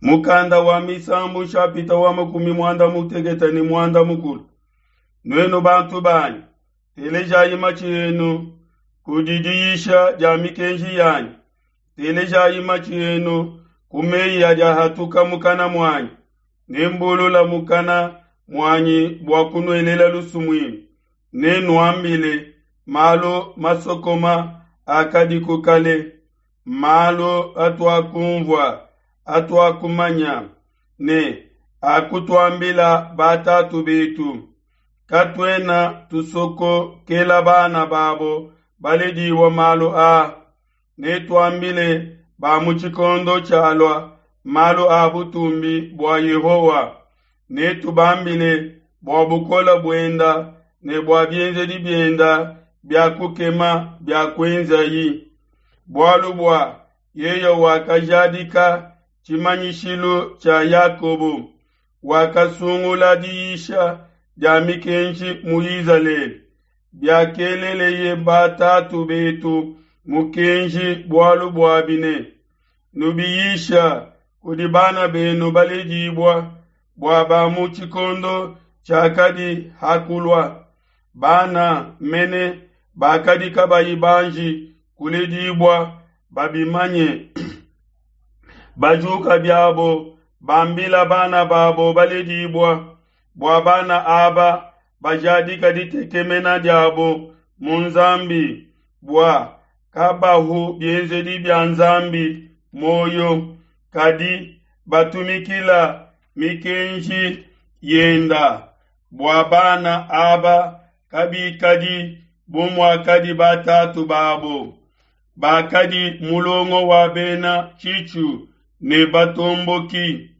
Mukanda wa Misambu nshapita wa 65. Nuenu bantu banyi, telejayi matshi enu kudi diyisha dia mikenji yanyi. Telejayi matshi enu ku meyi adi ahatuka mukana muanyi. Nembulula mukana muanyi bua kunuelela lusumuinu. Nenuambile malu masokoma akadiku kale, malu atuakumvua, atuakumanya, ne akutuambila batatu betu. Katuena tusokokela bana babo baledibua malu aa. Netuambile ba mu tshikondo tshialua malu a butumbi bua Yehowa. Netubambile bua bukole buenda ne bua bienzedi bienda bia kukema bia kuenzayi. Bualu bua yeye wakajadika tshimanyishilu tshia Yakobo, wakasungula diyisha dia mikenji mu Izalele, biakeleleye batatu betu mukenji bualu buabi ne, nubiyisha kudi bana benu baledibua, bua ba mu tshikondo tshiakadi hakulua, bana mene bakadi kabayi banji kuledibua babimanye. Bajuka biabo bambila bana babo baledibua, bua bana aba bajadika ditekemena diabo mu Nzambi, bua kabahu bienzedi bia Nzambi moyo, kadi batumikila mikenji yenda, bua bana aba kabikadi bu muakadi batatu babo, bakadi mulongo wa bena tshitshu ne batomboki,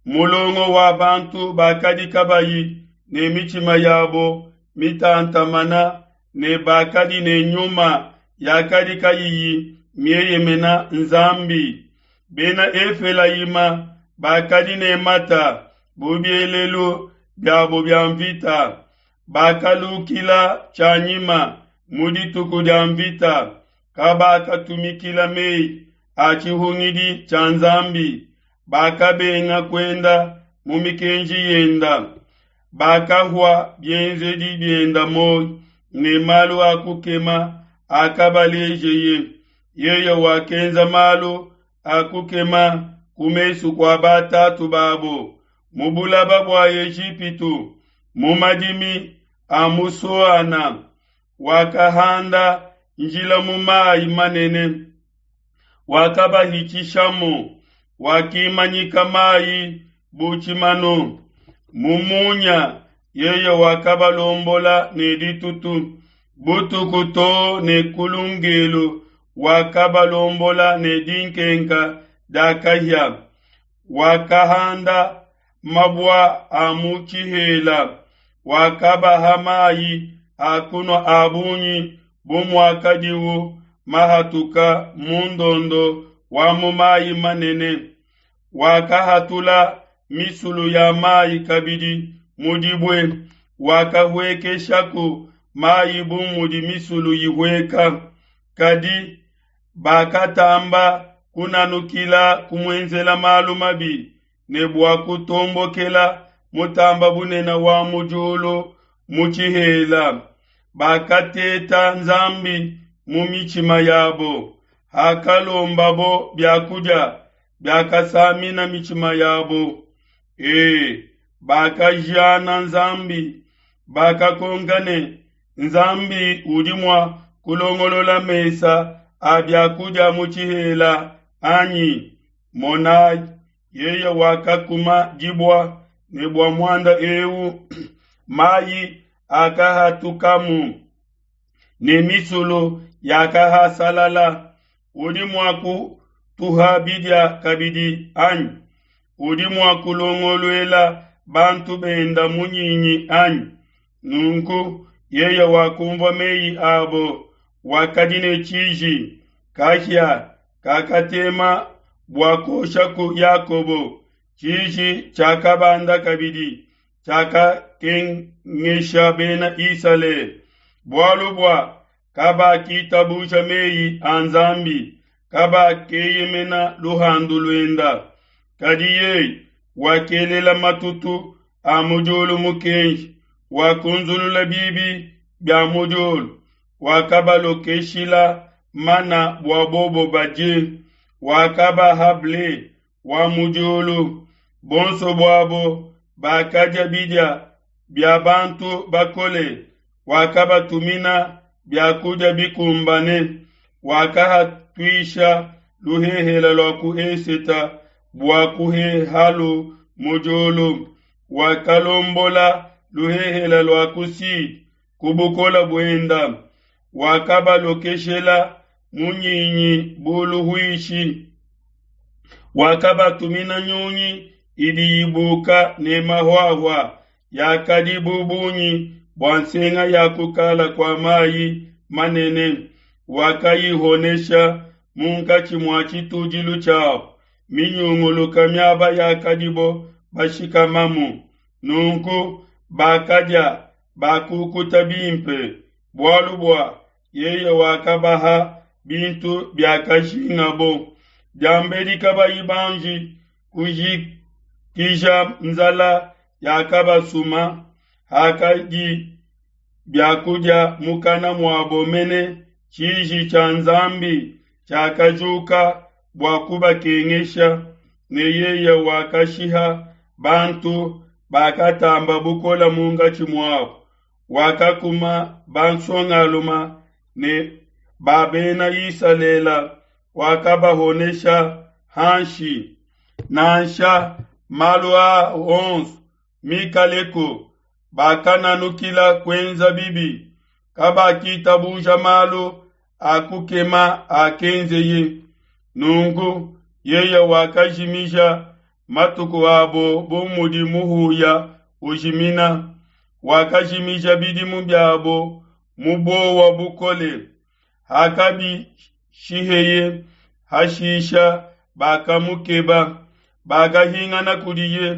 mulongo wa bantu bakadi kabayi ne mitshima yabo mitantamana ne bakadi ne nyuma yakadi kayiyi mieyemena Nzambi. Bena Efelayima bakadi ne mata bu bielelu biabo bia mvita, bakalukila tshianyima mu dituku dia mvita, kabakatumikila meyi a tshihungidi tshia Nzambi, bakabenga kuenda mu mikenji yenda, bakahua bienzedi bienda moyo ne malu a kukema akabalejeye. Yeye wakenza malu a kukema ku mesu kua batatu babo mu bulaba bua Ejipitu, mu madimi a mu Soana, wakahanda njila mu mayi manene, wakabahitshishamu, wakimanyika mayi bu tshimanu. Mu munya yeye wakabalombola ne ditutu, butuku too ne ku lungelu wakabalombola ne dinkenka dia kahia. Wakahanda mabua a mu tshihela, wakabaha mayi a kunua a bungi bu muakadiwu mahatuka mu ndondo wa mu mayi manene. Wakahatula misulu ya mayi kabidi mu dibue, wakahuekeshaku mayi bu mudi misulu ihueka. Kadi bakatamba kunanukila kumuenzela malu mabi ne bua kutombokela mutamba bunene wa mu diulu mu tshihela. Bakateta Nzambi mu mitshima yabo, hakalombabo biakudia biakasamina mitshima yabo. Bakajiana Nzambi, bakakonka ne, Nzambi udi mua kulongolola mesa a biakudia mu tshihela anyi? Monayi, yeye wakakuma dibua, ne bua muanda eu mayi akahatukamu ne misulu yakahasalala. Udi mua kutuha bidia kabidi anyi? Udi mua kulongoluela bantu benda munyinyi anyi? Nunku yeye wakumvua meyi abo, wakadi ne tshiji, kahia kakatema bua kuoshaku Yakobo. Tshiji tshiakabanda kabidi, tshiakakengesha bena Isalele, bualu bua kabakitabuja meyi a Nzambi, kabakeyemena luhandu luenda. Kadi yeye wakelela matutu a mu diulu mukenji, wakunzulula bibi bia mu diulu, wakabalokeshila mana bua bobo badie, wakabaha ble wa mu diulu. Bonso buabo bakadia bidia bia bantu bakole, wakabatumina biakudia bikumbane, wakahatuisha luhehela lua ku eseta bua kuhehalu mu diulu, wakalombola luhehela lua ku sud ku bukola buenda, wakabalokeshela munyinyi bu luhuishi, wakabatumina nyunyi idi ibuka ne mahuahua yakadi bu bungi bua nsenga ya kukala kua mayi manene, wakayihonesha munkatshi mua tshitudilu tshiabo, minyunguluka miaba yakadibo bashikamamu. Nunku bakadia bakukuta bimpe, bualu bua yeye wakabaha bintu biakajingabo. Diambedi kabayi banji kujikija nzala yakabasuma, hakadi biakudia mukana muabo mene, tshiji tshia Nzambi tshiakajuka bua kubakengesha, ne yeye wakashiha bantu bakatamba bukole munkatshi muabo, wakakuma bansongaluma ne ba bena Isalele, wakabahonesha hanshi. Nansha malu aa onso mikaleko, bakananukila kuenza bibi, kabakitabuja malu a kukema akenzeye. Nunku yeye wakajimija matuku abo bu mudi muhuya ujimina, wakajimija bidimu biabo mu buowa bukole. Hakabishiheye hashisha bakamukeba, bakahingana kudiye,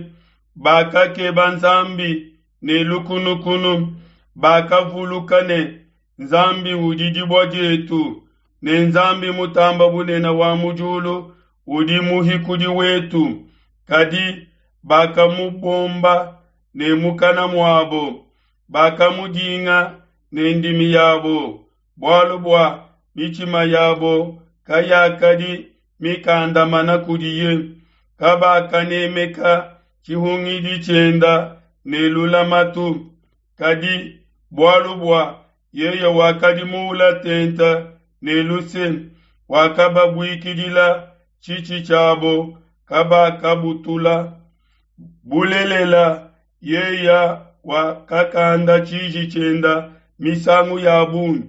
bakakeba Nzambi ne lukunukunu, bakavuluka ne Nzambi udi dibue dietu, ne Nzambi mutamba bunene wa mu diulu udi muhikudi wetu. Kadi bakamubomba ne mukana muabo, bakamudinga ne ndimi yabo, bualu bua mitshima yabo kayakadi mikandamana kudiye. Kabakanemeka tshihungidi tshienda ne lulamatu, kadi bualu bua yeye wakadi muula tente ne luse, wakababuikidila tshitshi tshiabo, kabakabutula. Bulelela, yeye wakakanda tshiji tshienda misangu ya bungi,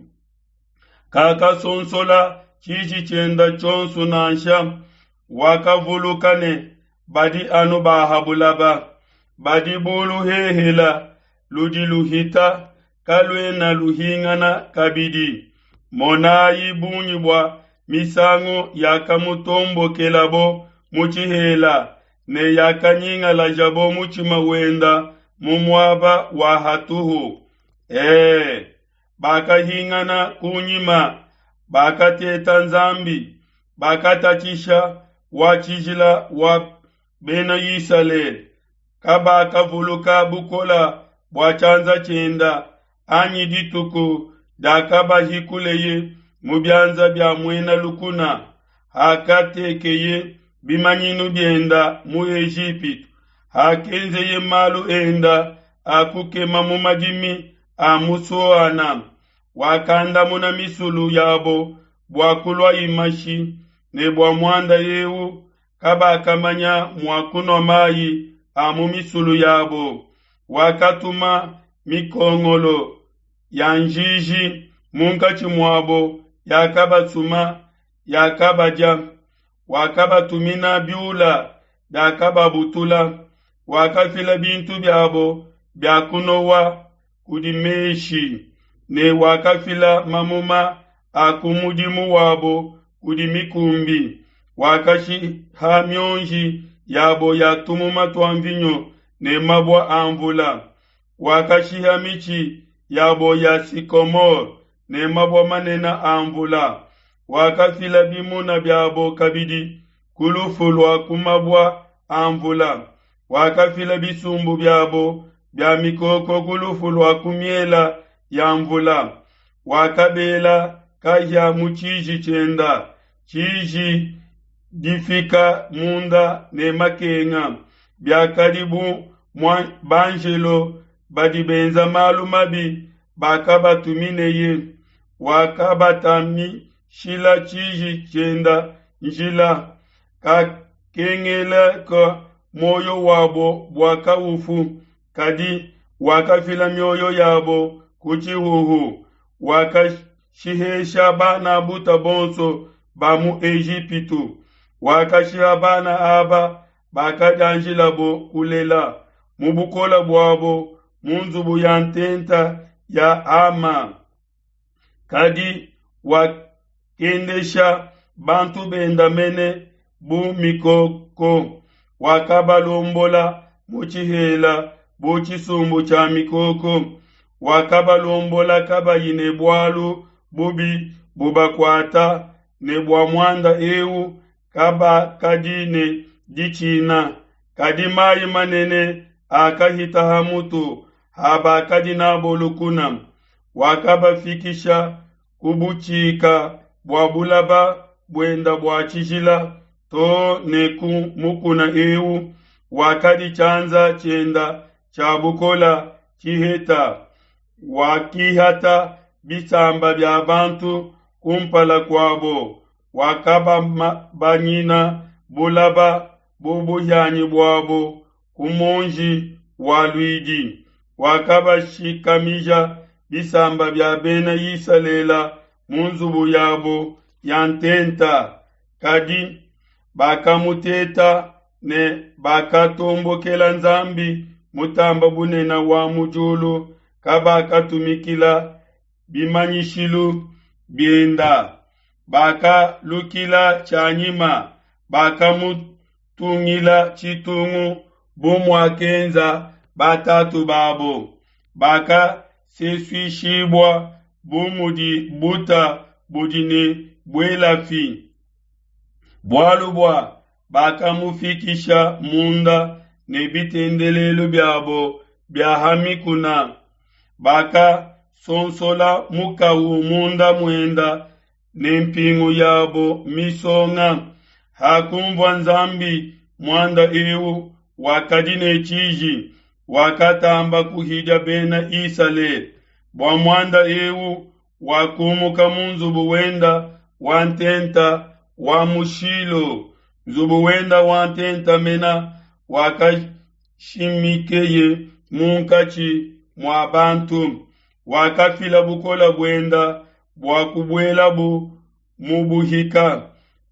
kakasonsola tshiji tshienda tshionso nansha. Wakavuluka ne badi anu ba ha bulaba, badi bu luhehela ludi luhita, kaluena luhingana kabidi. Monayi bungi bua misangu yakamutombokelabo mu tshihela, ne yakanyingalajabo mutshima wenda mu muaba wa hatuhu. Bakahingana kunyima, bakateta Nzambi, bakatatshisha wa tshijila wa bena Isalele. Kabakavuluka bukola bua tshianza tshienda, anyi dituku diakabahikuleye mu bianza bia muena lukuna, hakatekeye bimanyinu bienda mu Ejipitu, hakenzeye malu enda a kukema mu madimi a mu Soana. Wakandamuna misulu yabo bua kulua imashi, ne bua muanda eu kabakamanya mua kunua mayi a mu misulu yabo. Wakatuma mikongolo ya njiji munkatshi muabo, yakabasuma, yakabadia. Wakabatumina biula biakababutula. Wakafila bintu biabo bia kunowa kudi meshi, ne wakafila mamuma a ku mudimu wabo kudi mikumbi. Wakashiha mionji yabo ya tumuma tua mvinyo ne mabua a mvula. Wakashiha mitshi yabo ya sikomore ne mabua manene a mvula. Wakafila bimuna biabo kabidi ku lufu lua ku mabua a nvula. Wakafila bisumbu biabo bia mikoko ku lufu lua ku miela ya nvula. Wakabela kahia mu tshiji tshienda, tshiji difika munda ne makenga, biakadi bu banjelo badi benza malu mabi bakabatumineye. Wakabatamishila tshiji tshienda njila, kakengeleka muoyo wabo bua kaufu, kadi wakafila mioyo yabo ku tshihuhu. Wakashihesha bana buta bonso ba mu Ejipitu, wakashiha bana aba bakadianjilabo kulela mu bukole buabo mu nzubu ya ntenta ya Ama. Kadi wakendesha bantu benda mene bu mikoko, wakabalombola mu tshihela bu tshisumbu tshia mikoko, wakabalombola kabayi ne bualu bubi bubakuata, ne bua muanda eu kabakadi ne ditshina. Kadi mayi manene akahita ha mutu ha bakadi nabo lukuna, wakabafikisha ku butshika bua bulaba buenda bua tshijila to ne ku mukuna eu wakadi tshianza tshienda tshia bukola tshiheta. Wakihata bisamba bia bantu kumpala kuabo, wakababanyina bulaba bu buhianyi buabo ku muonji wa luidi. Wakabashikamija bisamba bia bena Isalele mu nzubu yabo ya ntenta, kadi bakamuteta ne bakatombokela Nzambi mutamba bunene wa mu diulu, kabakatumikila bimanyishilu bienda. Bakalukila tshianyima, bakamutungila tshitungu bu muakenza batatu babo. Bakasesuishibua bu mudi buta budi ne buelafi, bualu bua bakamufikisha munda ne bitendelelu biabo bia ha mikuna. Bakasonsola mukawu munda muenda ne mpingu yabo misonga. Hakumvua Nzambi muanda eu, wakadi ne tshiji, wakatamba kuhidia bena Isalele. Bua muanda eu wakumuka mu nzubu wenda wa ntenta wa mu Shilo, nzubu wenda wa ntenta mena wakashimikeye munkatshi mua bantu. Wakafila bukole buenda bua kubuelabu mu buhika,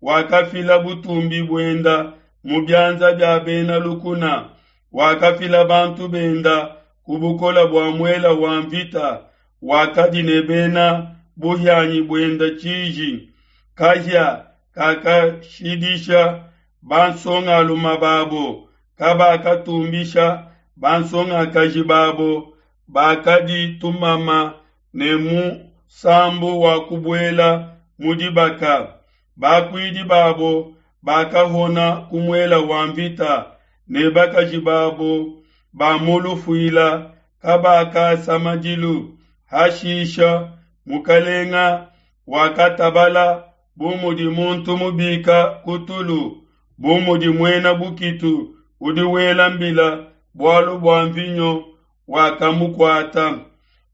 wakafila butumbi buenda mu bianza bia bena lukuna, wakafila bantu benda ku bukole bua muela wa mvita, wakadi ne bena buhianyi buenda tshiji. Kahia kakashidisha bansongalume babo, kabakatumbisha bansongakaji babo, bakadi tumama ne musambu wa kubuela mu dibaka. Bakuidi babo bakahona ku muela wa mvita, ne bakaji babo ba mu lufuila kabakasa madilu. Hashisha mukalenga wakatabala bu mudi muntu mubika ku tulu, bu mudi muena bukitu udi wela mbila bualu bua mvinyo wakamukuata.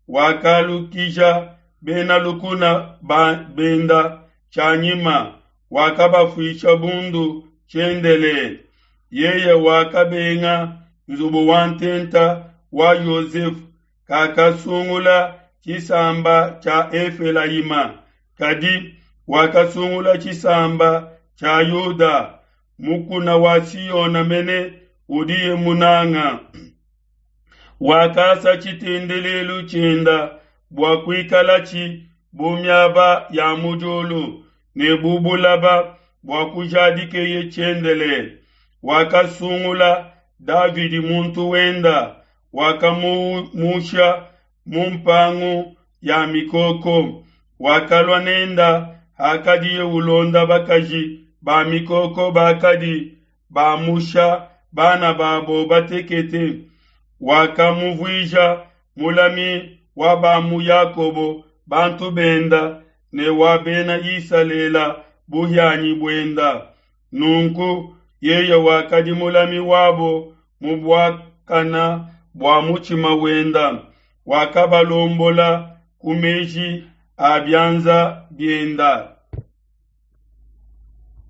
Wakalukija bena lukuna benda tshianyima, wakabafuisha bundu tshiendelele. Yeye wakabenga nzubu wa ntenta wa Yosefu, kakasungula tshisamba tshia Efelayima, kadi wakasungula tshisamba tshia Yuda, mukuna wa Siona mene udiye munanga. Wakasa tshitendelelu tshienda bua kuikalatshi bu miaba ya mu diulu ne bu bulaba bua kujadikeye tshiendelele. Wakasungula Davidi muntu wenda, wakamumusha mu mpangu ya mikoko. Wakalua nenda hakadiye ulonda bakaji ba mikoko bakadi bamusha bana babo batekete. Wakamuvuija mulami wa ba mu Yakobo bantu benda, ne wa bena Isalela buhianyi buenda. Nunku yeye wakadi mulami wabo mu buakana bua mutshima wenda, wakabalombola ku meji a bianza bienda.